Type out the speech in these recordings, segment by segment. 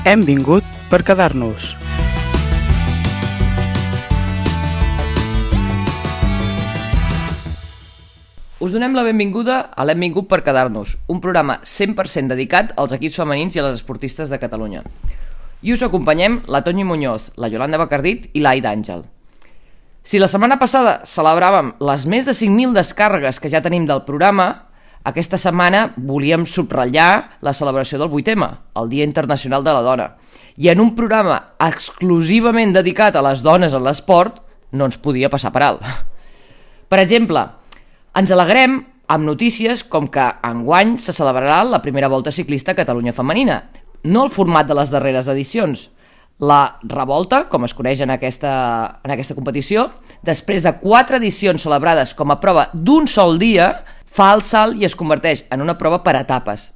Hem vingut per quedar-nos. Us donem la benvinguda a l'Hem vingut per quedar-nos, un programa 100% dedicat als equips femenins i a les esportistes de Catalunya. I us acompanyem la Toñi Muñoz, la Yolanda Bacardit i l'Aida Àngel. Si la setmana passada celebràvem les més de 5.000 descàrregues que ja tenim del programa, aquesta setmana volíem subratllar la celebració del 8M, el Dia Internacional de la Dona. I en un programa exclusivament dedicat a les dones en l'esport, no ens podia passar per alt. Per exemple, ens alegrem amb notícies com que enguany se celebrarà la primera Volta Ciclista a Catalunya femenina, no el format de les darreres edicions. La revolta, com es coneix en aquesta competició, després de 4 edicions celebrades com a prova d'un sol dia, fa el salt i es converteix en una prova per etapes.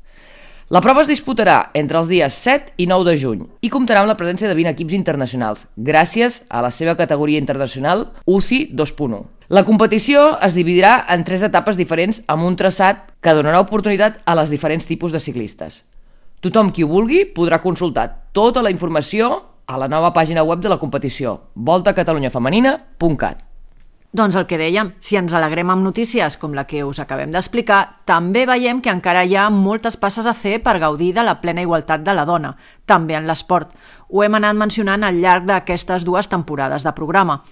La prova es disputarà entre els dies 7 i 9 de juny i comptarà amb la presència de 20 equips internacionals, gràcies a la seva categoria internacional UCI 2.1. La competició es dividirà en 3 etapes diferents amb un traçat que donarà oportunitat a les diferents tipus de ciclistes. Tothom qui ho vulgui podrà consultar tota la informació a la nova pàgina web de la competició, voltacatalunyafemenina.cat. Doncs el que dèiem, si ens alegrem amb notícies com la que us acabem d'explicar, també veiem que encara hi ha moltes passes a fer per gaudir de la plena igualtat de la dona, també en l'esport. Ho hem anat mencionant al llarg d'aquestes 2 temporades de programa.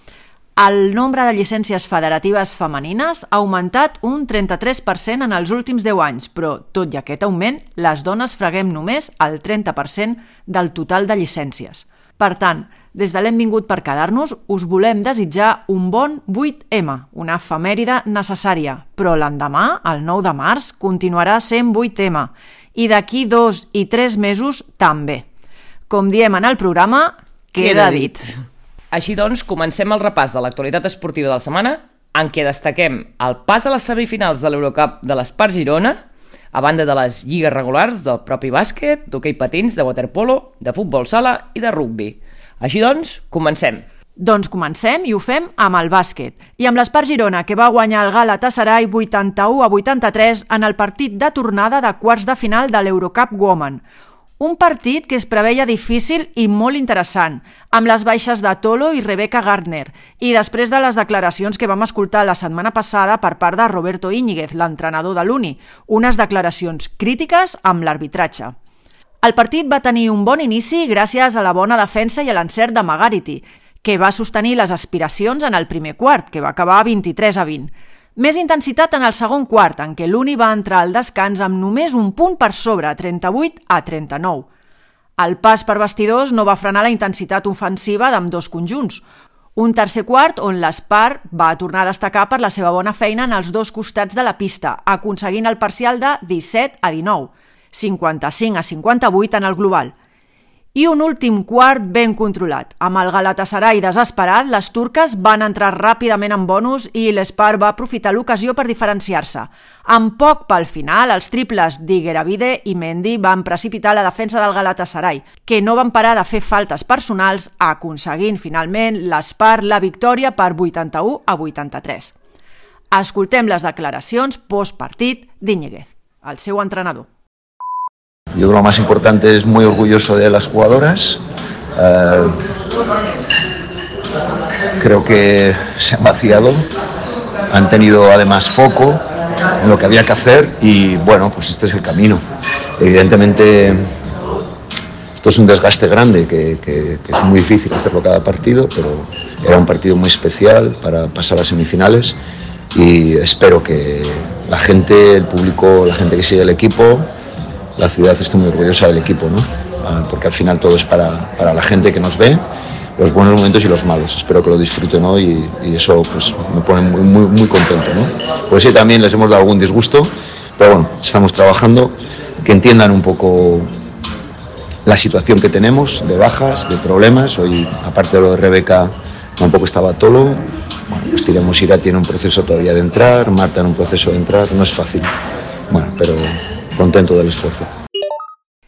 El nombre de llicències federatives femenines ha augmentat un 33% en els últims 10 anys, però, tot i aquest augment, les dones freguem només el 30% del total de llicències. Per tant, des de l'Hem vingut per quedar-nos, us volem desitjar un bon 8M, una efemèride necessària, però l'endemà, el 9 de març, continuarà sent 8M, i d'aquí 2 i 3 mesos també. Com diem en el programa, queda dit. Així doncs, comencem el repàs de l'actualitat esportiva de la setmana, en què destaquem el pas a les semifinals de l'Eurocup de l'Espart Girona, a banda de les lligues regulars del propi bàsquet, d'hoquei patins, de waterpolo, de futbol sala i de rugbi. Així doncs, comencem. Doncs comencem i ho fem amb el bàsquet. I amb l'Espart Girona, que va guanyar el Galatasaray 81-83 en el partit de tornada de quarts de final de l'Eurocup Women. Un partit que es preveia difícil i molt interessant, amb les baixes de Tolo i Rebecca Gardner, i després de les declaracions que vam escoltar la setmana passada per part de Roberto Íñiguez, l'entrenador de l'Uni, unes declaracions crítiques amb l'arbitratge. El partit va tenir un bon inici gràcies a la bona defensa i a l'encert de Magarity, que va sostenir les aspiracions en el primer quart, que va acabar 23-20. Més intensitat en el segon quart, en què l'Uni va entrar al descans amb només un punt per sobre, 38-39. El pas per vestidors no va frenar la intensitat ofensiva d'ambdós conjunts. Un tercer quart on l'Espart va tornar a destacar per la seva bona feina en els 2 costats de la pista, aconseguint el parcial de 17-19, 55-58 en el global. I un últim quart ben controlat. Amb el Galatasaray desesperat, les turques van entrar ràpidament en bonus i l'Espart va aprofitar l'ocasió per diferenciar-se. Amb poc pel final, els triples d'Igueravide i Mendy van precipitar la defensa del Galatasaray, que no van parar de fer faltes personals, aconseguint finalment l'Espart la victòria per 81-83. Escoltem les declaracions postpartit d'Íñiguez, el seu entrenador. Yo creo que lo más importante es muy orgulloso de las jugadoras. Creo que se han vaciado, han tenido además foco en lo que había que hacer y bueno, pues este es el camino. Evidentemente esto es un desgaste grande que es muy difícil hacerlo cada partido, pero era un partido muy especial para pasar a semifinales y espero que la gente, el público, la gente que sigue el equipo, la ciudad esté muy orgullosa del equipo, ¿no? Porque al final todo es para la gente que nos ve, los buenos momentos y los malos. Espero que lo disfruten hoy y eso pues me pone muy contento, ¿no? Pues sí, también les hemos dado algún disgusto, pero bueno, estamos trabajando, que entiendan un poco la situación que tenemos de bajas, de problemas. Hoy, aparte de lo de Rebeca, tampoco estaba Tolo. Bueno, pues Tiremos Ira tiene un proceso todavía de entrar, Marta en un proceso de entrar, no es fácil. Bueno, pero contento del esfuerzo.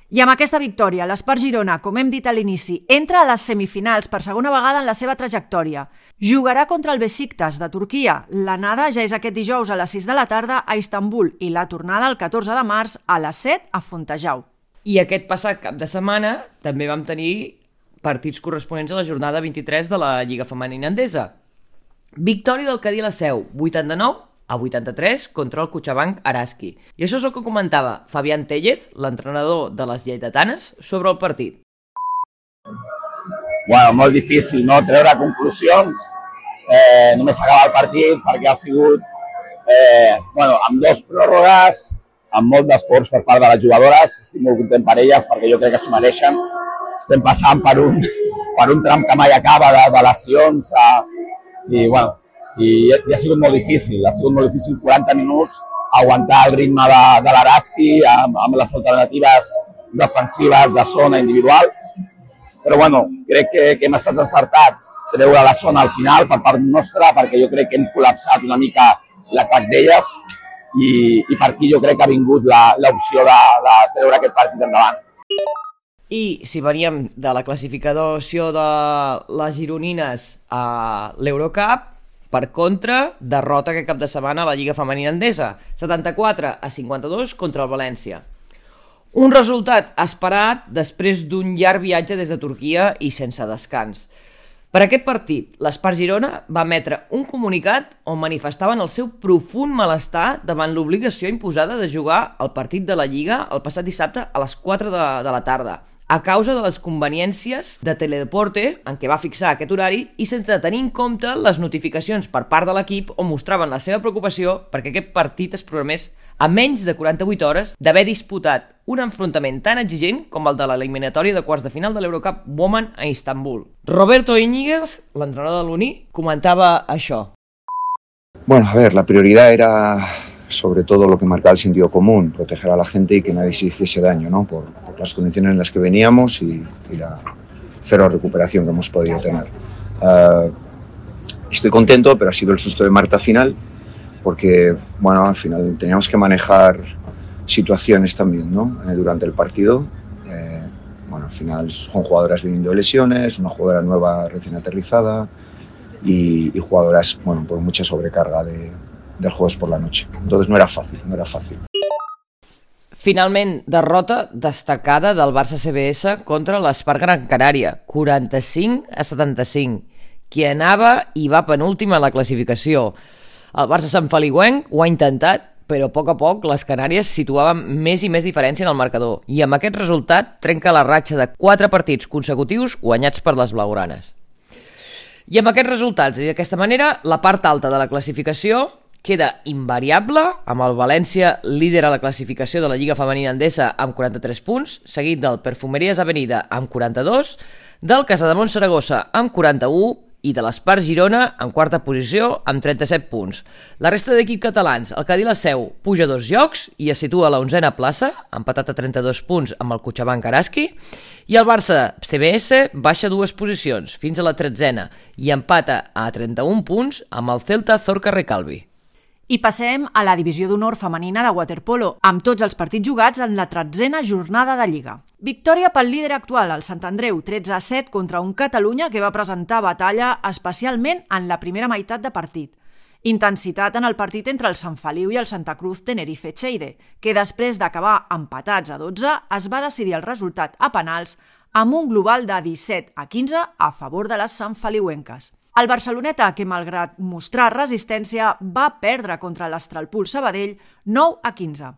I amb aquesta victòria, l'Espart Girona, com hem dit a l'inici, entra a les semifinals per segona vegada en la seva trajectòria. Jugarà contra el Besiktas de Turquia. L'anada ja és aquest dijous a les 6 de la tarda a Istanbul i la tornada el 14 de març a les 7 a Fontejau. I aquest passat cap de setmana també vam tenir partits corresponents a la jornada 23 de la Lliga Femenina Endesa. Victòria del Cadí la Seu, 89-83 contra el Cochabamba Araski. I això és el que comentava Fabián Tellez, l'entrenador de les lleidatanes, sobre el partit. Bueno, molt difícil, no?, treure conclusions. Només s'acaba el partit perquè ha sigut amb 2 pròrrogues, amb molt d'esforç per part de les jugadores. Estic molt content per elles perquè jo crec que s'ho mereixen. Estem passant per un tram que mai acaba de lesions i ha sigut molt difícil. Ha sigut molt difícil 40 minuts aguantar el ritme de l'Araski amb les alternatives defensives de zona individual. Però crec que hem estat encertats treure la zona al final per part nostra perquè jo crec que hem col·lapsat una mica l'atac d'elles i per aquí jo crec que ha vingut l'opció de treure aquest partit endavant. I si veníem de la classificació de les gironines a l'Eurocup, per contra, derrota aquest cap de setmana a la Lliga Femenina Endesa, 74-52 contra el València. Un resultat esperat després d'un llarg viatge des de Turquia i sense descans. Per aquest partit, l'Espart Girona va emetre un comunicat on manifestaven el seu profund malestar davant l'obligació imposada de jugar el partit de la Lliga el passat dissabte a les 4 de la tarda, a causa de les conveniències de Teledeporte en què va fixar aquest horari i sense tenir en compte les notificacions per part de l'equip on mostraven la seva preocupació perquè aquest partit es programés a menys de 48 hores d'haver disputat un enfrontament tan exigent com el de l'eliminatòria de quarts de final de l'Eurocup Women a Istanbul. Roberto Íñiguez, l'entrenador de l'Uni, comentava això. Bueno, a ver, la prioridad era sobre todo lo que marcaba el sentido común, proteger a la gente y que nadie se hiciese daño, ¿no? Por las condiciones en las que veníamos y la cero recuperación que hemos podido tener. Estoy contento, pero ha sido el susto de Marta final, porque al final teníamos que manejar situaciones también, ¿no? Durante el partido. Al final son jugadoras viniendo de lesiones, una jugadora nueva recién aterrizada y jugadoras por mucha sobrecarga del jueves por la noche. Entonces no era fácil. Finalment, derrota destacada del Barça CBS contra l'Espart Gran Canària, 45-75, qui anava i va penúltim a la classificació. El Barça santfeliuenc ho ha intentat, però a poc les Canàries situaven més i més diferència en el marcador i amb aquest resultat trenca la ratxa de 4 partits consecutius guanyats per les blaugranes. I amb aquests resultats i d'aquesta manera, la part alta de la classificació queda invariable, amb el València líder a la classificació de la Lliga Femenina Endesa amb 43 punts, seguit del Perfumeries Avenida amb 42, del Casademont Saragossa amb 41 i de l'Espart Girona en quarta posició amb 37 punts. La resta d'equips catalans, el Cadí la Seu, puja 2 llocs i es situa a la 11a plaça, empatat a 32 punts amb el Cochabamba Araski, i el Barça CBS baixa 2 posicions, fins a la 13a, i empata a 31 punts amb el Celta Zorca Recalvi. I passem a la divisió d'honor femenina de waterpolo, amb tots els partits jugats en la 13a jornada de Lliga. Victòria pel líder actual, el Sant Andreu, 13-7 contra un Catalunya que va presentar batalla especialment en la primera meitat de partit. Intensitat en el partit entre el Sant Feliu i el Santa Cruz Tenerife Cheide, que després d'acabar empatats a 12 es va decidir el resultat a penals amb un global de 17-15 a favor de les santfeliuenques. El Barceloneta, que malgrat mostrar resistència, va perdre contra l'Astralpool Sabadell 9-15.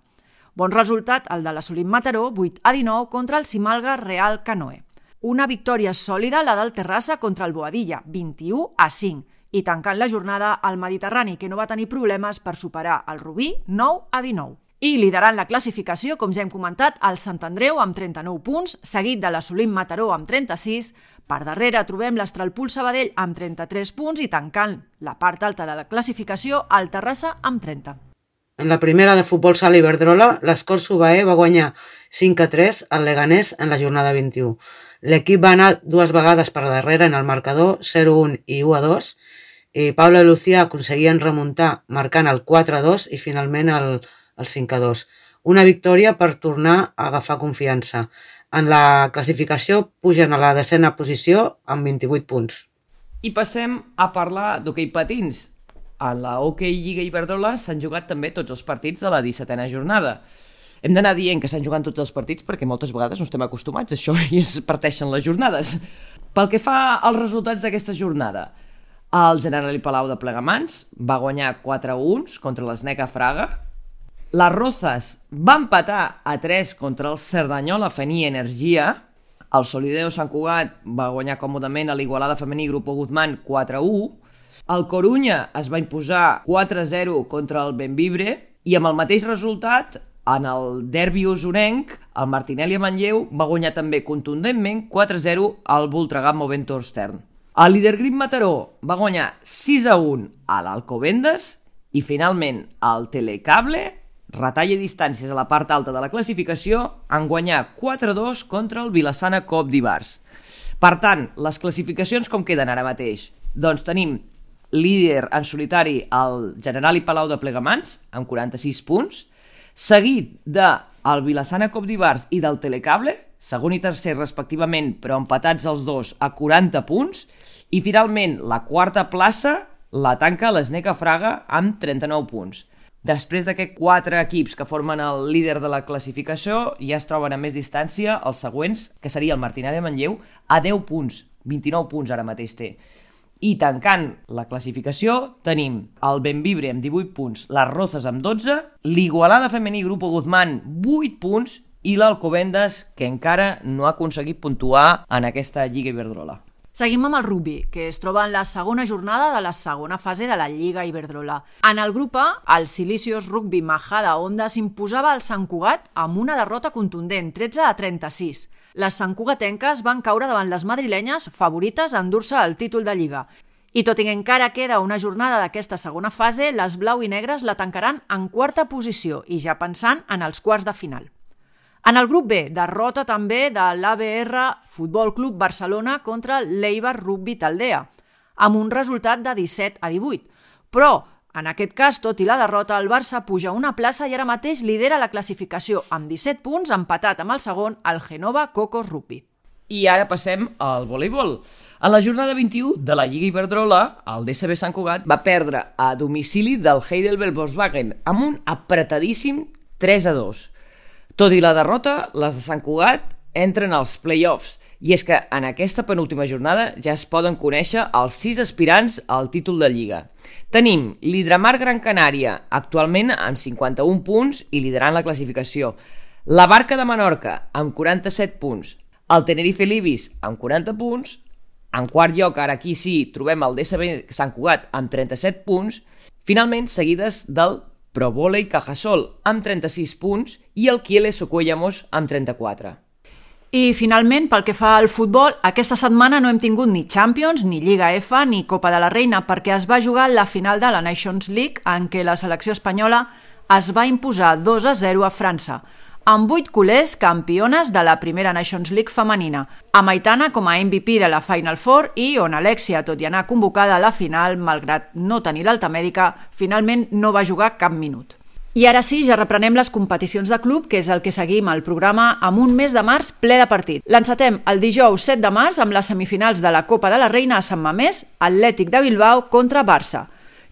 Bon resultat el de l'Assolim Mataró, 8-19 contra el Simalga Real Canoe. Una victòria sòlida la del Terrassa contra el Boadilla, 21-5. I tancant la jornada, el Mediterrani, que no va tenir problemes per superar el Rubí, 9-19. I liderant la classificació, com ja hem comentat, el Sant Andreu amb 39 punts, seguit de l'Assolim Mataró amb 36. Per darrere trobem l'Astralpool Sabadell amb 33 punts i tancant la part alta de la classificació el Terrassa amb 30. En la primera de futbol sala Iberdrola, l'Escort Subaé va guanyar 5-3 al Leganés en la jornada 21. L'equip va anar 2 vegades per darrere en el marcador, 0-1 i 1-2, i Paula i Lucía aconseguien remuntar marcant el 4-2 i finalment el 5-2. Una victòria per tornar a agafar confiança. En la classificació pugen a la 10a posició amb 28 punts. I passem a parlar d'hoquei patins. A la Hockey Lliga Iberdrola s'han jugat també tots els partits de la 17a jornada. Hem d'anar dient que s'han jugat tots els partits perquè moltes vegades no estem acostumats a això i es parteixen les jornades. Pel que fa als resultats d'aquesta jornada, el Generali Palau de Plegamans va guanyar 4-1 contra l'Sneca Fraga. Les Rozas va empatar a 3 contra el Cerdanyola Fení Energia. El Solideo Sant Cugat va guanyar còmodament a l'Igualada Femení Grupo Guzmán 4-1. El Corunya es va imposar 4-0 contra el Benvibre i amb el mateix resultat, en el derbi usonenc, el Martinelli a Manlleu va guanyar també contundentment 4-0 al Voltregà Movento Stern. El líder Grip Mataró va guanyar 6-1 a l'Alcobendas i finalment el Telecable retalla distàncies a la part alta de la classificació en guanyar 4-2 contra el Vilassana Cop d'Ivars. Per tant, les classificacions com queden ara mateix? Doncs tenim líder en solitari el Generali Palau de Plegamans amb 46 punts, seguit del Vilassana Cop d'Ivars i del Telecable, segon i tercer respectivament, però empatats els dos a 40 punts, i finalment la quarta plaça la tanca l'Sneca Fraga amb 39 punts. Després d'aquests 4 equips que formen el líder de la classificació, ja es troben a més distància els següents, que seria el Martinelli de Manlleu, a 10 punts, 29 punts ara mateix té. I tancant la classificació tenim el Benvibre amb 18 punts, les Rozas amb 12, l'Igualada Femení Grupo Guzmán 8 punts i l'Alcobendas, que encara no ha aconseguit puntuar en aquesta Lliga Iberdrola. Seguim amb el rugby, que es troba en la segona jornada de la segona fase de la Lliga Iberdrola. En el grup A, el Silicios Rugby Majada Onda s'imposava al Sant Cugat amb una derrota contundent, 13-36. Les santcugatenques van caure davant les madrilenyes favorites a endur-se el títol de Lliga. I tot i que encara queda una jornada d'aquesta segona fase, les blau i negres la tancaran en quarta posició i ja pensant en els quarts de final. En el grup B, derrota també de l'ABR Futbol Club Barcelona contra l'Eibar Rugby Taldea, amb un resultat de 17-18. Però, en aquest cas, tot i la derrota, el Barça puja una plaça i ara mateix lidera la classificació amb 17 punts, empatat amb el segon, el Genova Cocos Rugby. I ara passem al voleibol. En la jornada 21 de la Lliga Iberdrola, el DSB Sant Cugat va perdre a domicili del Heidelberg Volkswagen amb un apretadíssim 3-2. Tot i la derrota, les de Sant Cugat entren als play-offs, i és que en aquesta penúltima jornada ja es poden conèixer els 6 aspirants al títol de Lliga. Tenim l'Hidramar Gran Canària, actualment amb 51 punts i liderant la classificació, la Barca de Menorca amb 47 punts, el Tenerife Libis amb 40 punts, en quart lloc, ara aquí sí, trobem el DSB Sant Cugat amb 37 punts, finalment seguides del Pro Volei Cajasol amb 36 punts i el Kiele Socuellamos amb 34. I finalment, pel que fa al futbol, aquesta setmana no hem tingut ni Champions, ni Lliga F, ni Copa de la Reina, perquè es va jugar la final de la Nations League, en què la selecció espanyola es va imposar 2-0 a França, amb 8 culers campiones de la primera Nations League femenina, amb Aitana com a MVP de la Final Four i on Alexia, tot i anar convocada a la final, malgrat no tenir l'alta mèdica, finalment no va jugar cap minut. I ara sí, ja reprenem les competicions de club, que és el que seguim al programa amb un mes de març ple de partit. L'encetem el dijous 7 de març amb les semifinals de la Copa de la Reina a Sant Mamés, Atlètic de Bilbao contra Barça.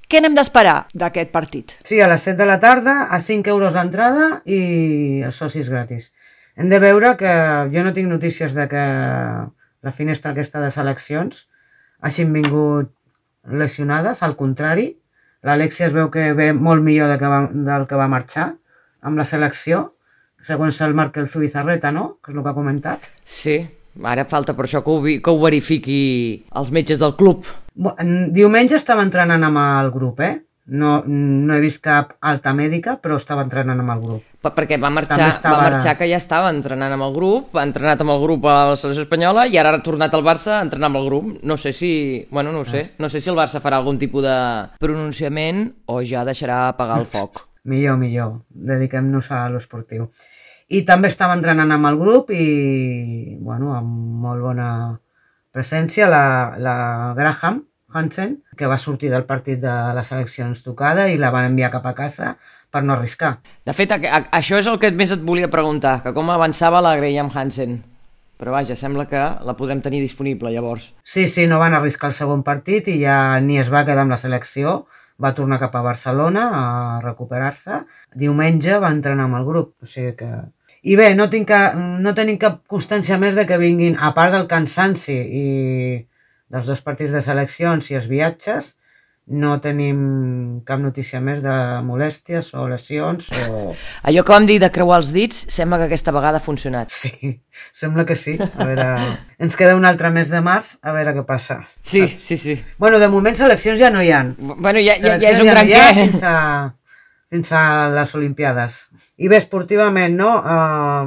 Què n'hem d'esperar d'aquest partit? Sí, a les 7 de la tarda, a 5 euros l'entrada i els socis gratis. Hem de veure que jo no tinc notícies de que la finestra aquesta de seleccions hagin vingut lesionades, al contrari. L'Alexia es veu que ve molt millor del que va marxar amb la selecció, segons el Markel Zubizarreta, no? Que és el que ha comentat. Sí, ara falta per això que ho verifiqui els metges del club. Diumenge estava entrenant amb el grup, No he vist cap alta mèdica, però estava entrenant amb el grup. Perquè va marxar que ja estava entrenant amb el grup, ha entrenat amb el grup a la selecció espanyola i ara ha tornat al Barça a entrenar amb el grup. No sé si el Barça farà algun tipus de pronunciament o ja deixarà apagar el foc. Millor, dediquem-nos a l'esportiu. I també estava entrenant amb el grup i, amb molt bona presència, la Graham Hansen, que va sortir del partit de les seleccions tocada i la van enviar cap a casa per no arriscar. De fet, això és el que més et volia preguntar, que com avançava la Graham Hansen. Però vaja, sembla que la podrem tenir disponible llavors. Sí, no van arriscar el segon partit i ja ni es va quedar amb la selecció, va tornar cap a Barcelona a recuperar-se. Diumenge va entrenar amb el grup, o sigui que... I bé, no tenim cap constància més de que vinguin, a part del cansanci i dels 2 partits de seleccions i els viatges, no tenim cap notícia més de molèsties o lesions o... Allò que vam dir de creuar els dits, sembla que aquesta vegada ha funcionat. Sí, sembla que sí. A veure, ens queda un altre mes de març, a veure què passa. Sí. Bueno, de moment seleccions ja no hi ha. Bueno, ja és un gran què. Fins a les Olimpiades. I bé, esportivament, no?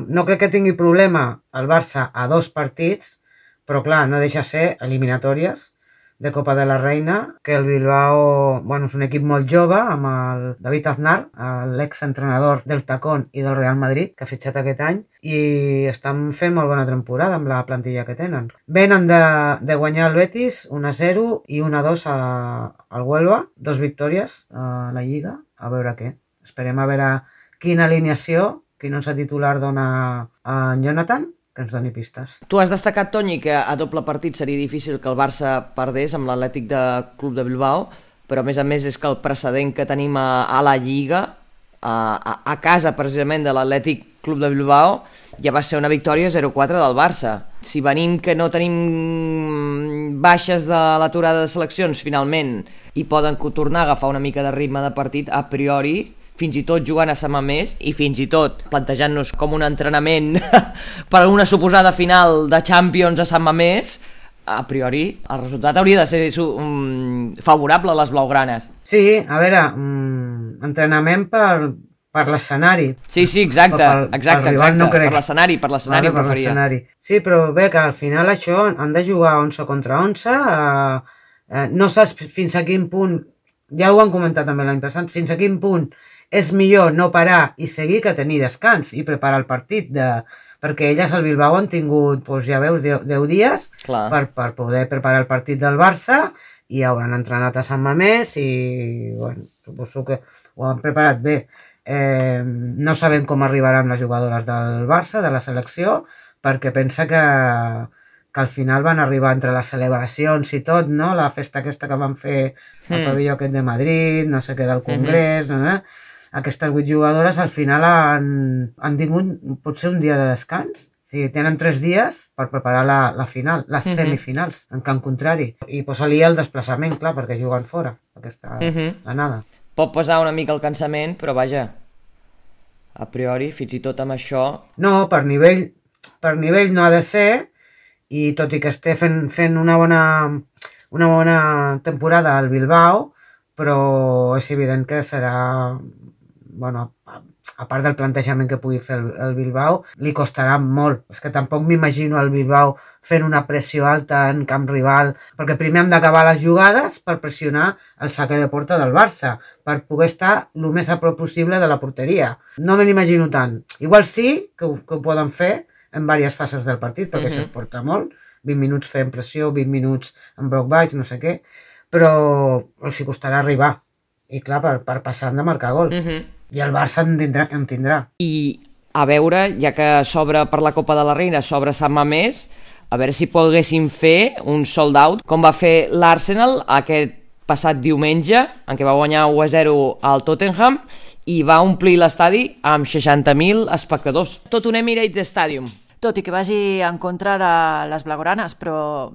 No crec que tingui problema el Barça a 2 partits, però clar, no deixa ser eliminatòries de Copa de la Reina, que el Bilbao, bueno, és un equip molt jove, amb el David Aznar, l'exentrenador del Tacón i del Real Madrid, que ha fitxat aquest any, i estan fent molt bona temporada amb la plantilla que tenen. Venen de guanyar el Betis 1-0 i 1-2 al Huelva, 2 victòries a la Lliga, a veure què. Esperem a veure quina alineació, quin 11 titular dona a en Jonathan, que ens doni pistes. Tu has destacat, Toni, que a doble partit seria difícil que el Barça perdés amb l'Atlètic de Club de Bilbao, però a més és que el precedent que tenim a la Lliga, a casa precisament de l'Atlètic Club de Bilbao, ja va ser una victòria 0-4 del Barça. Si venim que no tenim baixes de l'aturada de seleccions finalment i poden tornar a agafar una mica de ritme de partit, a priori fins i tot jugant a Sant Mamés i fins i tot plantejant-nos com un entrenament per a una suposada final de Champions a Sant Mamés, a priori el resultat hauria de ser favorable a les blaugranes. Sí, a veure, entrenament per l'escenari. Sí, exacte, no per l'escenari preferia. Sí, però bé, que al final això han de jugar 11 contra 11, no saps fins a quin punt, ja ho han comentat també l'any passat, fins a quin punt és millor no parar i seguir que tenir descans i preparar el partit, perquè elles al Bilbao han tingut, doncs ja veus, 10 dies per poder preparar el partit del Barça i hauran entrenat a Sant Mamés i, bueno, suposo que ho han preparat bé. No sabem com arribaran les jugadores del Barça, de la selecció, perquè pensa que al final van arribar entre les celebracions i tot, no? La festa aquesta que van fer al pavelló aquest de Madrid, no sé què, del Congrés, aquestes 8 jugadores al final han tingut potser un dia de descans. O sigui, tenen 3 dies per preparar la final, les semifinals, en camp contrari. I posa-li el desplaçament, clar, perquè juguen fora, aquesta anada. Pot pesar una mica el cansament, però vaja, a priori, fins i tot amb això... No, per nivell no ha de ser, i tot i que esté fent una bona temporada al Bilbao, però és evident que serà... Bueno, a part del plantejament que pugui fer el Bilbao, li costarà molt. És que tampoc m'imagino el Bilbao fent una pressió alta en camp rival, perquè primer hem d'acabar les jugades per pressionar el saque de porta del Barça, per poder estar el més a prop possible de la porteria. No me l'imagino tant. Igual sí que ho poden fer en diverses fases del partit, perquè això es porta molt. 20 minuts fent pressió, 20 minuts en bloc baix, no sé què, però els hi costarà arribar. I clar, per passar han de marcar gol. I el Barça en tindrà. I a veure, ja que s'obre per la Copa de la Reina, s'obre Sant Mamés, a veure si poguessin fer un sold out, com va fer l'Arsenal aquest passat diumenge, en què va guanyar 1-0 al Tottenham, i va omplir l'estadi amb 60.000 espectadors. Tot un Emirates Stadium. Tot i que vagi en contra de les blaugranes, però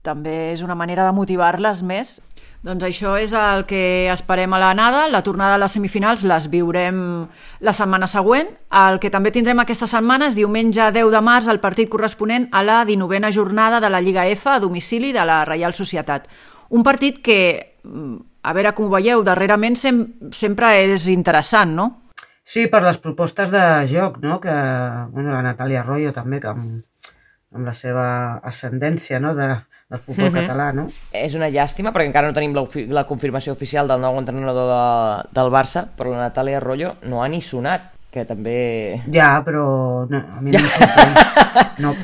també és una manera de motivar-les més. Doncs això és el que esperem a l'anada. La tornada a les semifinals les viurem la setmana següent. El que també tindrem aquesta setmana és diumenge 10 de març el partit corresponent a la 19a jornada de la Lliga F a domicili de la Reial Societat. Un partit que, a veure com ho veieu, darrerament sempre és interessant, no? Sí, per les propostes de joc, no? Que, bueno, la Natàlia Arroyo també, que amb la seva ascendència, no? del futbol català, no? És una llàstima perquè encara no tenim la confirmació oficial del nou entrenador del Barça, però la Natàlia Arroyo no ha ni sonat, que també... Ja, però no, a mi no em sorprèn.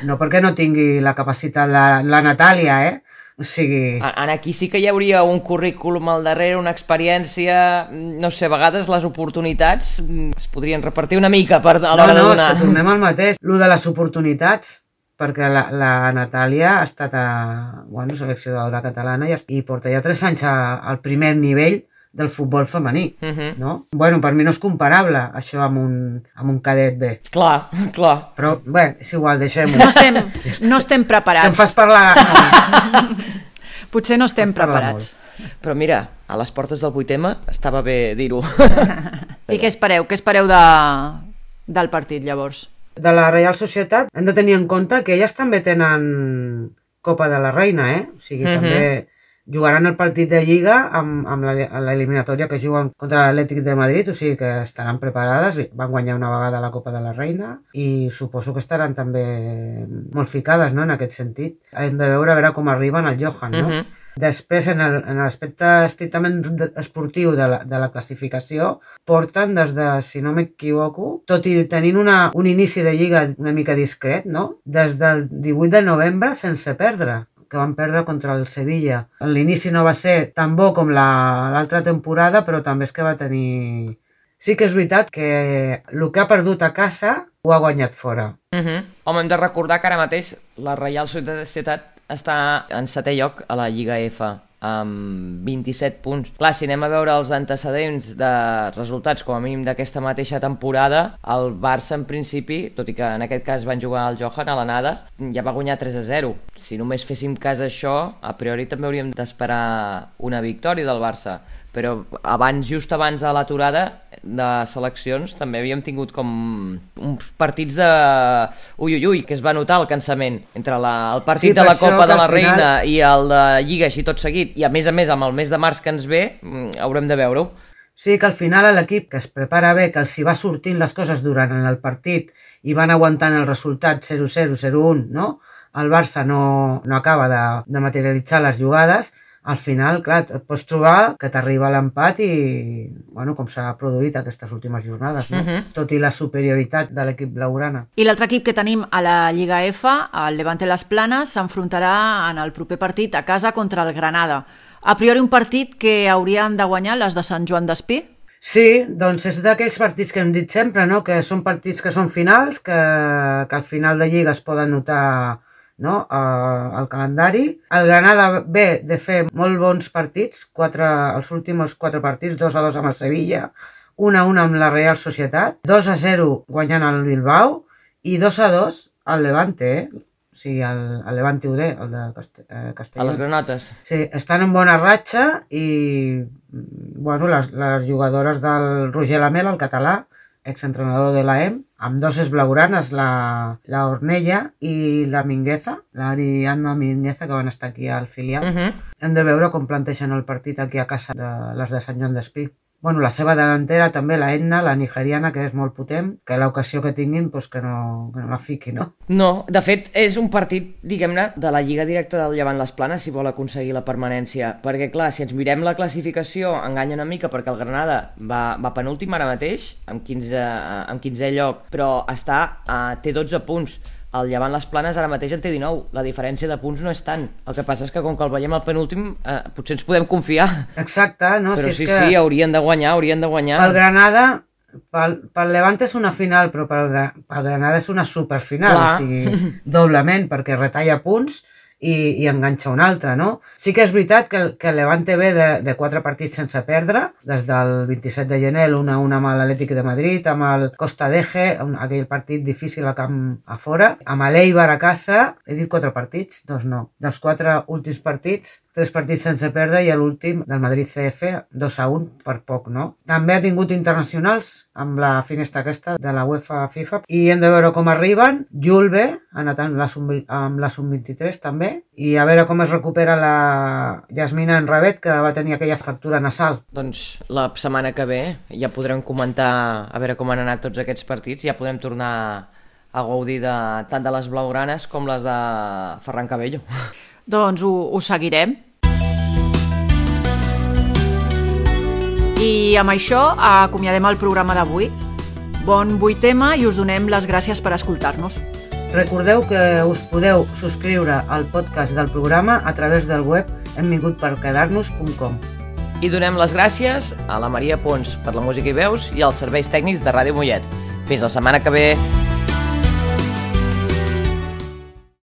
No perquè no tingui la capacitat la Natàlia, O sigui... Aquí sí que hi hauria un currículum al darrere, una experiència, no sé, a vegades les oportunitats es podrien repartir una mica a l'hora de donar. No, és que tornem al mateix. Lo de les oportunitats, perquè la Natàlia ha estat seleccionadora catalana i porta ja 3 anys al primer nivell del futbol femení, no? Bueno, per mi no és comparable això amb un cadet B. Clar. Però, bé, és igual, deixem-ho. No estem preparats. Em fas parlar... Potser no estem preparats. Però mira, a les portes del 8M estava bé dir-ho. I què espereu? Què espereu del partit, llavors? De la Reial Societat hem de tenir en compte que elles també tenen Copa de la Reina, O sigui, també jugaran el partit de Lliga amb l'eliminatòria que juguen contra l'Atlètic de Madrid, o sigui que estaran preparades, van guanyar una vegada la Copa de la Reina i suposo que estaran també molt ficades, no?, en aquest sentit. Hem de veure com arriben al Johan, no? Després, en l'aspecte estrictament esportiu de la classificació, porten des de, si no m'equivoco, tot i tenint un inici de Lliga una mica discret, no?, des del 18 de novembre sense perdre, que van perdre contra el Sevilla. L'inici no va ser tan bo com l'altra temporada, però també és que va tenir... Sí que és veritat que el que ha perdut a casa ho ha guanyat fora. Home, hem de recordar que ara mateix la Reial Societat està en 7è lloc a la Lliga F, amb 27 punts. Clar, si anem a veure els antecedents de resultats, com a mínim d'aquesta mateixa temporada, el Barça, en principi, tot i que en aquest cas van jugar al Johan a l'anada, ja va guanyar 3-0. Si només féssim cas a això, a priori també hauríem d'esperar una victòria del Barça. Però just abans de l'aturada de seleccions també havíem tingut com uns partits de ui, que es va notar el cansament entre el partit de la Copa de la Reina i el de Lliga així tot seguit, i a més amb el mes de març que ens ve haurem de veure-ho. Sí, que al final l'equip que es prepara bé, que els hi va sortint les coses durant el partit i van aguantant el resultat 0-0, 0-1, no? El Barça no acaba de materialitzar les jugades. Al final, clar, et pots trobar que t'arriba l'empat i, bueno, com s'ha produït aquestes últimes jornades, no? Tot i la superioritat de l'equip blaugrana. I l'altre equip que tenim a la Lliga F, el Levante Las Planes, s'enfrontarà en el proper partit a casa contra el Granada. A priori un partit que haurien de guanyar les de Sant Joan d'Espí? Sí, doncs és d'aquells partits que hem dit sempre, no?, que són partits que són finals, que al final de Lliga es poden notar, no?, el calendari. El Granada ve de fer molt bons partits, els últims 4 partits, 2-2 amb el Sevilla, 1-1 amb la Real Societat, 2-0 guanyant el Bilbao i 2-2 al Levante, o sigui, el Levante UD, el de Castelló. A les granotes. Sí, estan en bona ratxa i, bueno, les jugadores del Roger Lamela, el català, exentrenador de l'AEM, amb 2 blaugranes, la Ornella i la Mingueza, l'Ariadna Mingueza, que van estar aquí al filial. Hem de veure com plantegen el partit aquí a casa de les de Sant Joan d'Espí. Bueno, la seva delantera també, la Edna, la nigeriana, que és molt potent, que l'ocasió que tinguin, doncs que no la fiqui, no? No, de fet, és un partit, diguem-ne, de la Lliga directa del Llevant Les Planes, si vol aconseguir la permanència. Perquè, clar, si ens mirem la classificació, enganya una mica, perquè el Granada va penúltim ara mateix, amb 15è lloc, però té 12 punts. El Llevant Les Planes ara mateix en té 19. La diferència de punts no és tant. El que passa és que com que el veiem al penúltim, potser ens podem confiar. Exacte, no? Però sí, haurien de guanyar. Pel Granada, pel Levante és una final, però pel Granada és una superfinal. Clar. O sigui, doblement, perquè retalla punts i enganxa un altre, no? Sí que és veritat que el Levante ve de 4 partits sense perdre, des del 27 de gener, l'1-1 amb l'Atlètic de Madrid, amb el Costa d'Eje, aquell partit difícil a camp a fora, amb l'Eibar a casa, he dit 4 partits? Doncs no. Dels 4 últims partits, 3 partits sense perdre i l'últim del Madrid CF, 2-1 per poc, no? També ha tingut internacionals amb la finestra aquesta de la UEFA FIFA i hem de veure com arriben. Julve ha anat amb la Sub-23 també, i a veure com es recupera la Yasmina Enravet, que va tenir aquella fractura nasal. Doncs la setmana que ve ja podrem comentar a veure com han anat tots aquests partits, ja podrem tornar a gaudir tant de les blaugranes com les de Ferran Cabello. Doncs ho seguirem. I amb això acomiadem el programa d'avui. Bon 8M i us donem les gràcies per escoltar-nos. Recordeu que us podeu subscriure al podcast del programa a través del web hemvingutsperquedarnos.com. I donem les gràcies a la Maria Pons per la música i veus i als serveis tècnics de Ràdio Mollet. Fins la setmana que ve!